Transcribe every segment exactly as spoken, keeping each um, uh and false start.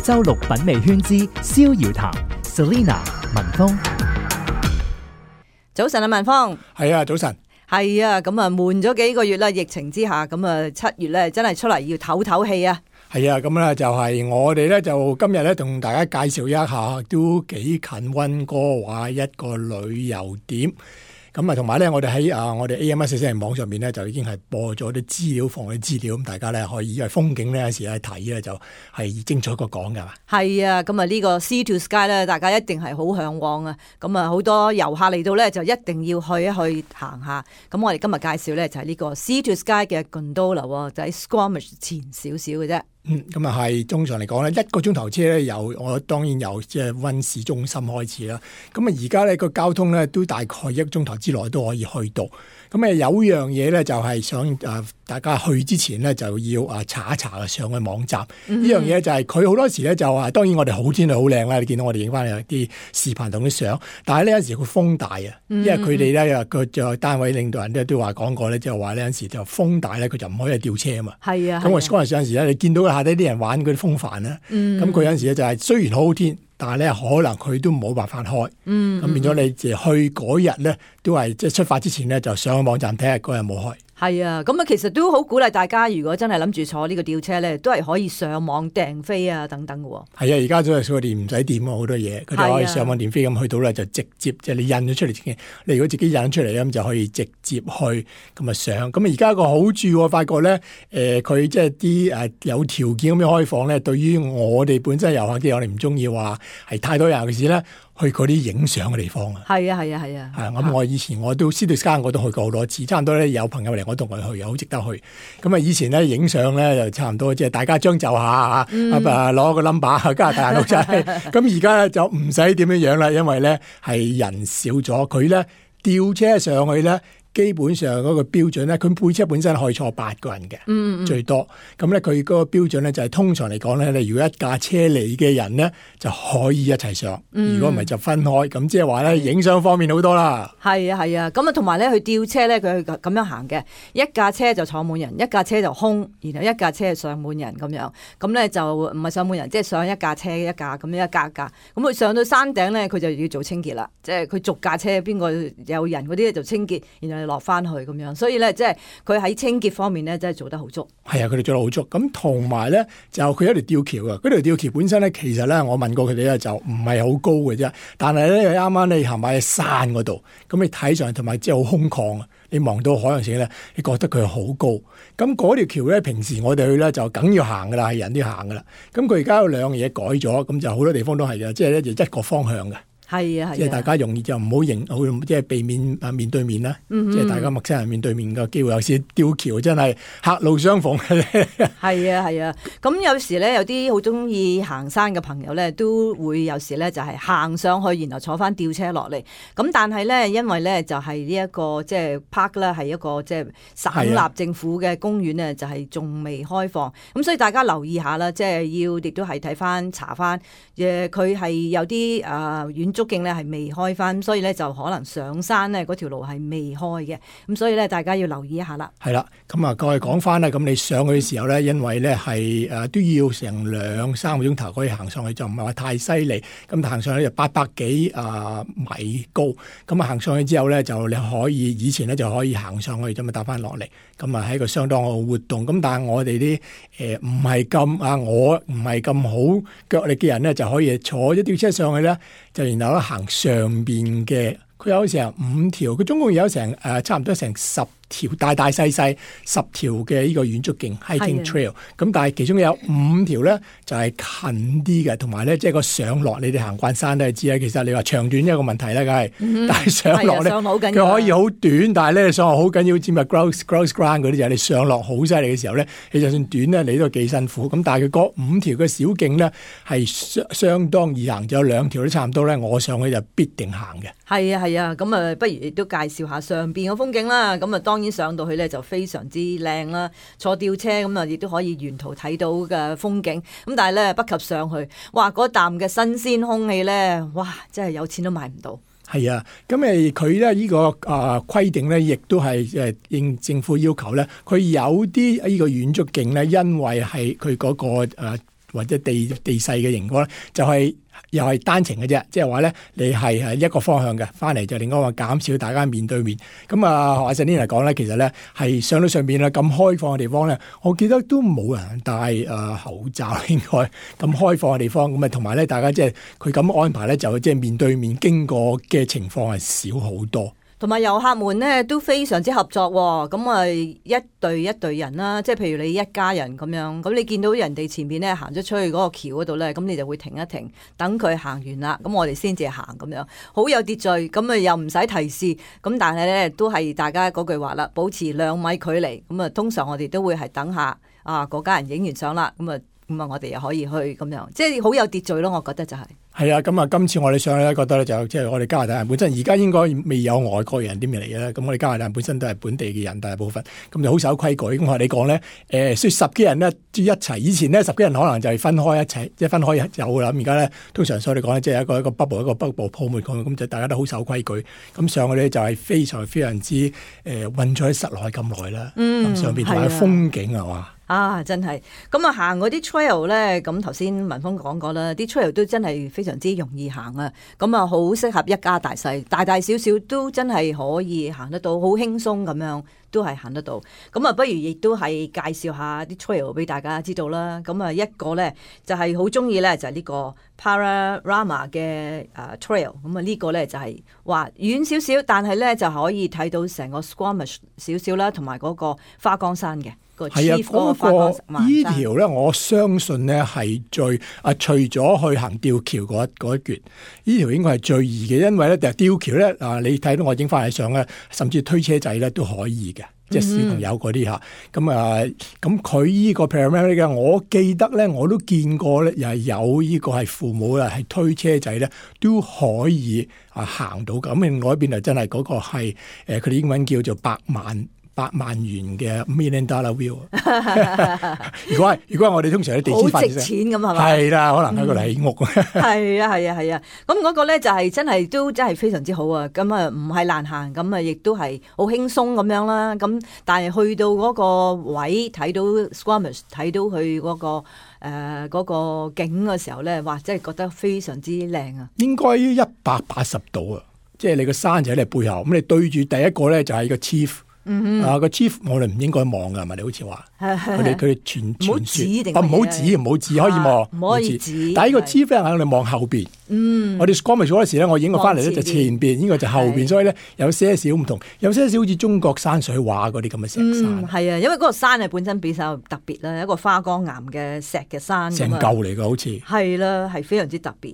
周六品味圈之逍遙談 Selina 文峰。早晨啊，文峰。係啊，早晨。係啊，咁啊悶咗幾個月啦，疫情之下，咁啊七月咧真係出嚟要唞唞氣啊。係啊，咁咧就係我哋咧就今日咧同大家介紹一下都幾近溫哥華一個旅遊點。咁啊，同埋咧，我哋喺啊，我哋 A M 一四四零網上面咧，就已經係播咗啲資料，放啲資料，咁大家咧可以因為風景咧有時去睇咧，就係精彩過講噶嘛。係啊，咁啊呢個 Sea to Sky 咧，大家一定係好向往啊。咁啊好多遊客嚟到咧，就一定要去一去行下。咁我哋今日介紹咧就係呢個 Sea to Sky 嘅 Gondola， 就喺 Squamish 前少少嘅啫。嗯，咁啊係，通常嚟講咧，一個鐘頭車咧，由我當然由即係溫市中心開始啦。咁啊，而家咧個交通咧都大概一個鐘頭之內都可以去到。咁啊，有樣嘢咧就係想誒大家去之前咧就要啊查一查上去網站。呢、嗯、樣嘢就係佢好多時咧就話，當然我哋好天氣好靚啦，你見到我哋影翻嚟啲視頻同啲相。但係呢有陣時佢風大啊，因為佢哋咧個就單位領導人咧都話講過咧，即係話呢有陣時就風大咧，佢就唔可以吊車啊嘛。係啊。咁我嗰陣時有陣時咧，你見到下底啲人玩嗰啲風帆咧，咁、嗯、佢有陣時咧就係雖然好好天，但係咧可能佢都冇辦法開。嗯。咁變咗你就去嗰日咧，都係即係出發之前咧，就上個網站睇下嗰日冇開。係啊，咁啊其實都好鼓勵大家，如果真係諗住坐呢個吊車咧，都係可以上網訂飛啊等等嘅喎。係啊，而家都係佢哋唔使點啊，好多嘢，佢哋可以上網訂飛咁去到咧，就直接即係、就是、你印咗出嚟，你如果自己印出嚟咁就可以直接去咁啊上。咁啊而家個好處我發覺咧，誒佢即係啲誒有條件咁樣開放咧，對於我哋本身遊客嘅我哋唔中意話係太多人嘅事咧。去嗰啲影相嘅地方啊！係啊係啊係啊！係咁，我以前我都 Sea to Sky 我都去過好多次，差唔多咧有朋友嚟我同佢去，又好值得去。咁啊，以前咧影相咧就差唔多，即係大家將就下嚇，嗯、啊攞個 number 加大眼錄仔。咁而家咧就唔使點樣樣啦，因為咧係人少咗，佢咧吊車上去咧。基本上嗰個標準咧，佢配車本身可以坐八個人嘅、嗯嗯，最多。咁咧佢嗰個標準咧就係、是、通常嚟講咧，你如果一架車嚟嘅人咧就可以一齊上，如果唔係就分開。咁即係話咧，影相方面好多啦。係啊係啊，咁啊同埋咧，佢吊車咧，佢咁樣行嘅，一架車就坐滿人，一架車就空，然後一架車上滿人咁樣。咁咧就唔係上滿人，即係上一架車一架咁樣一架一架。咁佢上到山頂咧，佢就要做清潔啦。即係佢逐架車邊個有人嗰啲咧就清潔，然後落翻去咁樣，所以咧即係佢喺清潔方面咧真係做得好足。係啊，佢哋做得好足。咁同埋咧就佢有條吊橋啊，嗰條吊橋本身咧其實咧我問過佢哋咧就唔係好高嘅啫，但係咧啱啱你行埋喺山嗰度，咁你睇上去同埋即係好空曠啊，你望到海洋時咧，你覺得佢好高。咁嗰條橋咧平時我哋去咧就梗要行噶啦，係人都要行噶啦。咁佢而家有兩樣嘢改咗，咁就好多地方都係嘅，即係咧就一個方向嘅。係啊，係啊，即係大家容易就唔好迎，即係避免啊面對面啦。嗯、即係大家陌生人面對面嘅機會，有時吊橋真係狹路相逢嘅咧。係啊，係啊。咁有時咧，有啲好中意行山嘅朋友咧，都會有時咧就係行上去，然後坐翻吊車落嚟。咁但係咧，因為咧就係呢一個即係 park 咧，係一個即係省立政府嘅公園咧，就係仲未開放。咁所以大家留意下啦，即係要亦都係睇翻查翻，誒佢係有啲誒遠足徑咧係未開翻，所以咧就可能上山咧嗰條路係未開嘅，咁所以咧大家要留意一下啦。係啦，咁啊，各位講翻啦，咁你上去嘅時候咧，因為咧係誒都要成兩三個鐘頭可以行上去，就唔係話太犀利。咁行上去就八百幾啊米高，咁啊行上去之後咧就你可以以前咧就可以行上去咁啊搭翻落嚟，咁啊係一個相當嘅活動。咁但係我哋啲誒唔係咁啊，我唔係咁好腳力嘅人咧，就可以坐一吊車上去咧，就然後行上邊嘅，佢有成五條，佢總共有成誒、呃、差唔多成十條大大細細十條嘅呢個遠足徑 hiking trail， 咁但係其中有五條咧就係、是、近啲嘅，同埋咧即係個上落，你哋行慣山都係知啦。其實你話長短一個問題咧，梗係、嗯，但係上落咧佢可以好短，但係咧上落好緊要，知咪 grouse grouse ground 嗰啲就係你上落好犀利嘅時候咧，你就算短咧你都幾辛苦。咁但係佢嗰五條嘅小徑咧係相相當易行，就有兩條都差唔多咧，我上去就必定行嘅。係啊係啊，咁啊不如亦都介紹下上邊嘅風景啦。咁啊當然上到去咧就非常之靚啦，坐吊車咁啊亦都可以沿途睇到嘅風景。咁但係咧不及上去，哇嗰啖嘅新鮮空氣咧，哇真係有錢都買唔到。係啊，咁誒佢咧呢個啊規定咧，亦都係誒應政府要求咧，佢有啲呢個遠足徑咧，因為係佢嗰個誒或者地地勢嘅情況咧，就係、是。又係單程嘅啫，即係話咧，你係係一個方向嘅，翻嚟就另外一個減少大家面對面。咁啊，學阿 Selina 嚟講咧，其實咧係上到上邊啦，咁開放嘅地方咧，我記得都冇人戴誒、呃、口罩，應該咁開放嘅地方。咁啊，同埋咧，大家即係佢咁安排咧，就即係面對面經過嘅情況係少好多。同埋遊客們咧都非常之合作喎，咁啊一隊一隊人啦，即係譬如你一家人咁樣，咁你見到人哋前面咧行咗出去嗰個橋嗰度咧，咁你就會停一停，等佢行完啦，咁我哋先至行咁樣，好有秩序，咁啊又唔使提示，咁但係咧都係大家嗰句話啦，保持兩米距離，咁啊通常我哋都會係等下啊嗰家人影完相啦，咁啊咁啊我哋又可以去咁樣，即係好有秩序咯，我覺得就係、是。係啊，咁啊，今次我哋上去咧，覺得咧就即係我哋加拿大人本身，而家應該未有外國人啲咩嚟嘅啦。咁我哋加拿大人本身都係本地嘅人，大部分咁就好守規矩。咁我哋講咧，誒、呃，說十幾人咧一齊，以前咧十幾人可能就係分開一齊，即係分開有啦。咁而家咧，通常所以嚟講咧，即係一個一個 bubble 一個 bubble 泡沫咁，咁就大家都好守規矩。咁上去咧就係非常非常之誒困咗喺室內咁耐啦。嗯，咁上邊同埋風景係嘛？啊，真係咁啊！行嗰啲 trail 咧，咁頭先文峰講過啦，啲 trail 都真係非常之容易行啊！咁啊，好適合一家大細，大大小小都真係可以行得到，好輕鬆咁樣都係行得到。咁啊，不如亦都係介紹下啲 trail 俾大家知道啦。咁啊，一個咧就係好中意咧，就係呢個 Pararama 嘅誒 trail。咁啊，呢個咧就係話遠少少，但係咧就可以睇到成個 Squamish 少少啦，同埋嗰個花崗山嘅。係啊，嗰、那個依條咧，我相信咧係最啊，除咗去行吊橋嗰嗰一橛，依條應該係最易嘅，因為咧，吊橋咧啊，你睇到我影翻嚟相咧，甚至推車仔咧都可以嘅，即係小朋友嗰啲嚇。咁、嗯、啊，咁佢依個 Pararama 嘅，我記得咧，我都見過咧，又係有依個係父母啦，係推車仔咧都可以啊行到。咁另外一邊就真係嗰個係誒，佢哋英文叫做百萬。百萬元嘅 million dollar view 如果係如果係我哋通常喺地資發好值錢咁係嘛？係啦，可能喺嗰度起屋。係啊係啊係啊，咁嗰個咧就係真係都真係非常之好啊！咁啊唔係難行，咁啊亦都係好輕鬆咁樣啦。咁但係去到嗰個位睇到 Squamish 睇到佢嗰、嗰個誒嗰、呃嗰個景嘅時候咧，哇！真係覺得非常之靚啊！應該一百八十度啊，即係你個山就喺你背後，咁你對住第一個咧就係個 chief。嗯、啊個 chief 我哋唔應該望噶，係咪？你好似話佢哋佢哋傳傳說，唔好指唔好指可以望，唔可以指。但係呢個 chief 咧，我哋望後邊。嗯，我哋 Squamish 嗰時咧，我影過翻嚟咧就前邊，呢個就後邊，所以咧有些少唔同，有些少好似中國山水畫嗰啲咁嘅石山。嗯，係啊，因為嗰個山係本身比較特別啦，一個花崗岩嘅石嘅山，成嚿嚟噶，好似係啦，係非常之特別。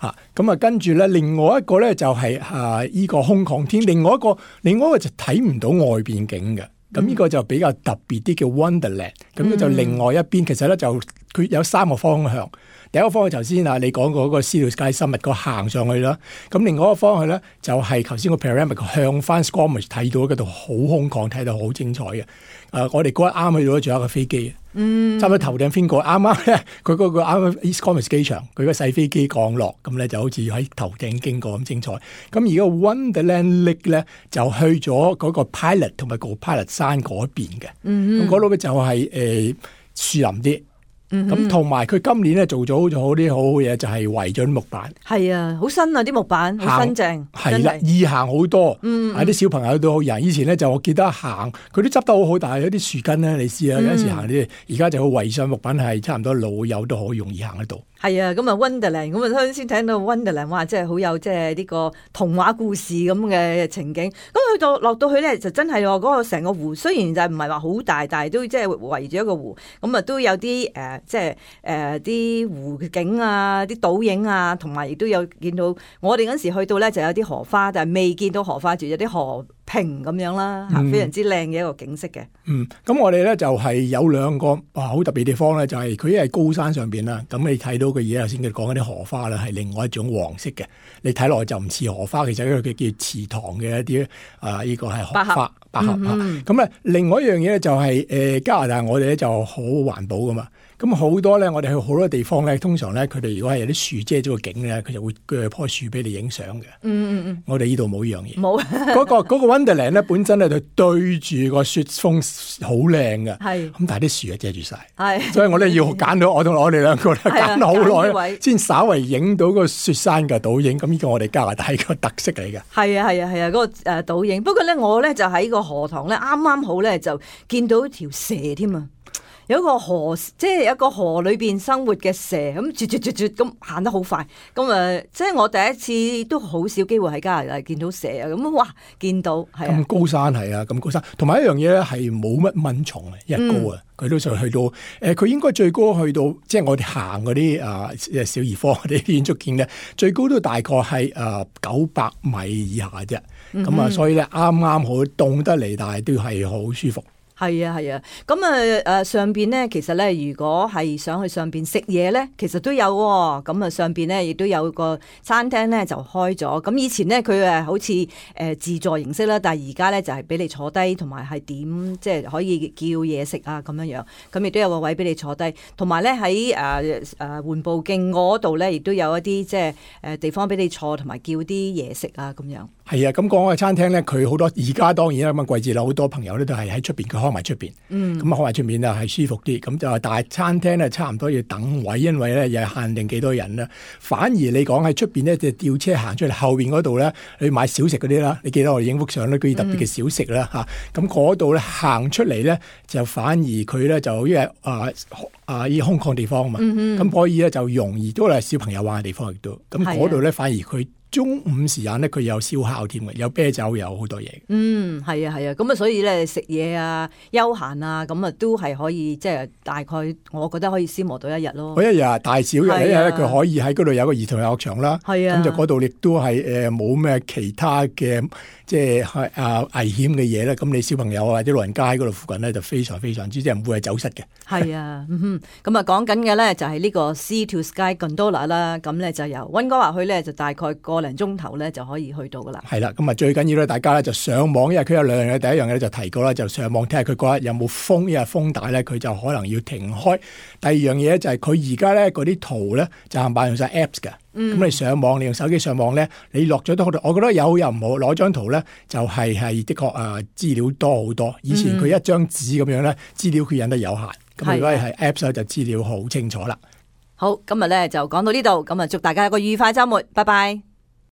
嚇咁啊，跟住咧，另外一個咧就係、是、啊依、這個空曠天，另外一個另外一個就睇唔到外邊景嘅。咁呢個就比較特別啲，叫 Wonderland。咁咧就另外一邊，其實咧就佢有三個方向。第一個方向頭先啊，你講過嗰個 Sea to Sky Summit 個行上去啦。咁另外一個方向咧，就係頭先個 Pararama 向翻 Squamish 睇到嗰度好空曠，睇到好精彩嘅。誒、呃，我哋嗰日啱去到，仲有一個飛機。嗯，差唔多頭頂飛過，啱啱咧，佢嗰個啱啱 East Squamish 機場，佢個細飛機降落，咁咧就好似喺頭頂經過咁精彩。咁而個 Wonderland Lake 咧就去咗嗰個 Pilot 同埋個 Pilot 山嗰邊嘅。嗯，咁嗰度咧就係、是、誒、呃、樹林啲。咁同埋佢今年咧做咗好好啲好好嘢，就係圍咗啲木板。係啊，好新啊啲木板，好新淨。係啦，易行好多。嗯，啲、嗯、小朋友都好易行。以前咧就我記得行，佢都執得好好，但係有啲樹根咧，你試下有陣時行啲，而家就好圍上木板係差唔多老友都好容易行得到。係啊，咁啊 Wonderland， 咁啊先睇到 Wonderland， 哇，真係好有即係呢個童話故事咁嘅情景。咁去到落到去咧，就真係嗰個成個湖，雖然就唔係話好大，但係都即係圍住一個湖，咁啊都有啲誒、呃，即係誒啲湖景啊，啲倒影啊，同埋亦都有見到我哋嗰時去到咧，就有啲荷花，但係未見到荷花住，有啲河平咁樣啦，非常之靚嘅一個景色嘅。嗯，咁我哋咧就係、是、有兩個哇好特別地方咧，就係佢一係高山上邊啦，咁你睇到嘅嘢頭先佢講嗰啲荷花咧係另外一種黃色嘅，你睇落去就唔似荷花，其實佢叫池塘嘅一啲啊，呢、這個係荷花百合啊。咁咧、嗯、另外一樣嘢咧就係、是、誒、呃、加拿大我哋咧就好環保噶嘛。咁好多咧，我哋去好多地方咧，通常咧佢哋如果係有啲樹遮咗個景咧，佢就會鋸棵樹俾你影相嘅。嗯嗯嗯，我哋呢度冇呢樣嘢。冇嗰個嗰個 Wonderland 咧，本身咧就對住個雪峰好靚嘅。係。咁但係啲樹啊遮住晒。係。所以我哋要揀到我同我哋兩個咧揀好耐，先稍為影到個雪山嘅倒影。咁呢個我哋加拿大個特色嚟嘅。係啊係啊係啊，嗰個誒倒影。不過咧，我咧就喺個河塘咧，啱啱好咧就見到條蛇添啊！有一個河，即係有一個河裏邊生活嘅蛇，咁絕絕絕絕咁行得好快。咁誒，即係我第一次都好少機會喺加拿大見到蛇啊！咁哇，見到係啊，咁高山係啊，咁高山。同埋一樣嘢咧，係冇乜蚊蟲啊，一高啊，佢、嗯、都上去到誒，佢、呃、應該最高去到，即係我哋行嗰啲啊小兒科嗰啲建築見咧，最高都大概係誒九百米以下啫。咁、嗯、啊，所以咧啱啱好凍得嚟，但係都係好舒服。係啊係啊，咁啊誒上邊咧，其實咧，如果係想去上邊食嘢咧，其實都有喎、哦。咁啊上邊咧亦都有個餐廳咧就開咗。咁以前咧佢誒好似誒自助形式啦，但係而家咧就係俾你坐低，同埋係點即係可以叫嘢食啊咁樣樣。咁亦都有個位俾你坐低，同埋咧喺誒誒緩步徑嗰度咧，亦都有一啲即係誒地方俾你坐，同埋叫啲嘢食啊咁樣。係啊，咁講嘅餐廳咧，佢好多而家當然啦，咁嘅季節啦，好多朋友咧都係喺出邊，佢開埋出邊，咁啊開埋出面啊係舒服啲。咁就但係餐廳咧差唔多要等位，因為咧又係限定幾多人啦。反而你講喺出邊咧，就吊車行出嚟後邊嗰度咧，你買小食嗰啲啦，你記得我哋影幅相咧，嗰啲特別嘅小食啦嚇。咁嗰度咧行出嚟咧，就反而佢咧就因為啊啊依空曠地方啊嘛，咁、嗯、可以咧就容易都係小朋友玩嘅地方亦都。咁嗰度咧反而佢。中午時間咧，佢有燒烤添嘅，有啤酒，有好多嘢。嗯，係啊，係啊，咁啊，所以咧食嘢啊、休閒啊，咁啊都係可以，即係大概，我覺得可以消磨到一日咯。嗰一日大小日一日咧，佢可以喺嗰度有個兒童遊樂場啦。係啊，咁就嗰度亦都係誒冇咩其他嘅即係啊危險嘅嘢咧。咁你小朋友或者老人家喺嗰度附近咧，就非常非常之即係唔會係走失嘅。係啊，嗯咁啊講緊嘅咧就係呢個 Sea to Sky Gondola 啦。咁咧就由溫哥華去咧就大概個零鐘頭咧就可以去到噶啦。係啦，咁啊最緊要咧，大家咧就上網，因為佢有兩樣嘢。第一樣嘢就提過啦，就上網睇下佢嗰日有冇風，因為風大咧，佢就可能要停開。第二樣嘢就係佢而家咧嗰啲圖咧就係擺用晒 apps 嘅。咁、嗯、你上網，你用手機上網咧，你落咗都好多。我覺得有又唔好，攞張圖咧就係、是、係的確啊資料多好多。以前佢一張紙咁樣咧，資料佢印得有限。咁如果係 apps 咧，就資料好清楚啦。好，今日咧就講到呢度，咁啊祝大家一個愉快週末，拜拜。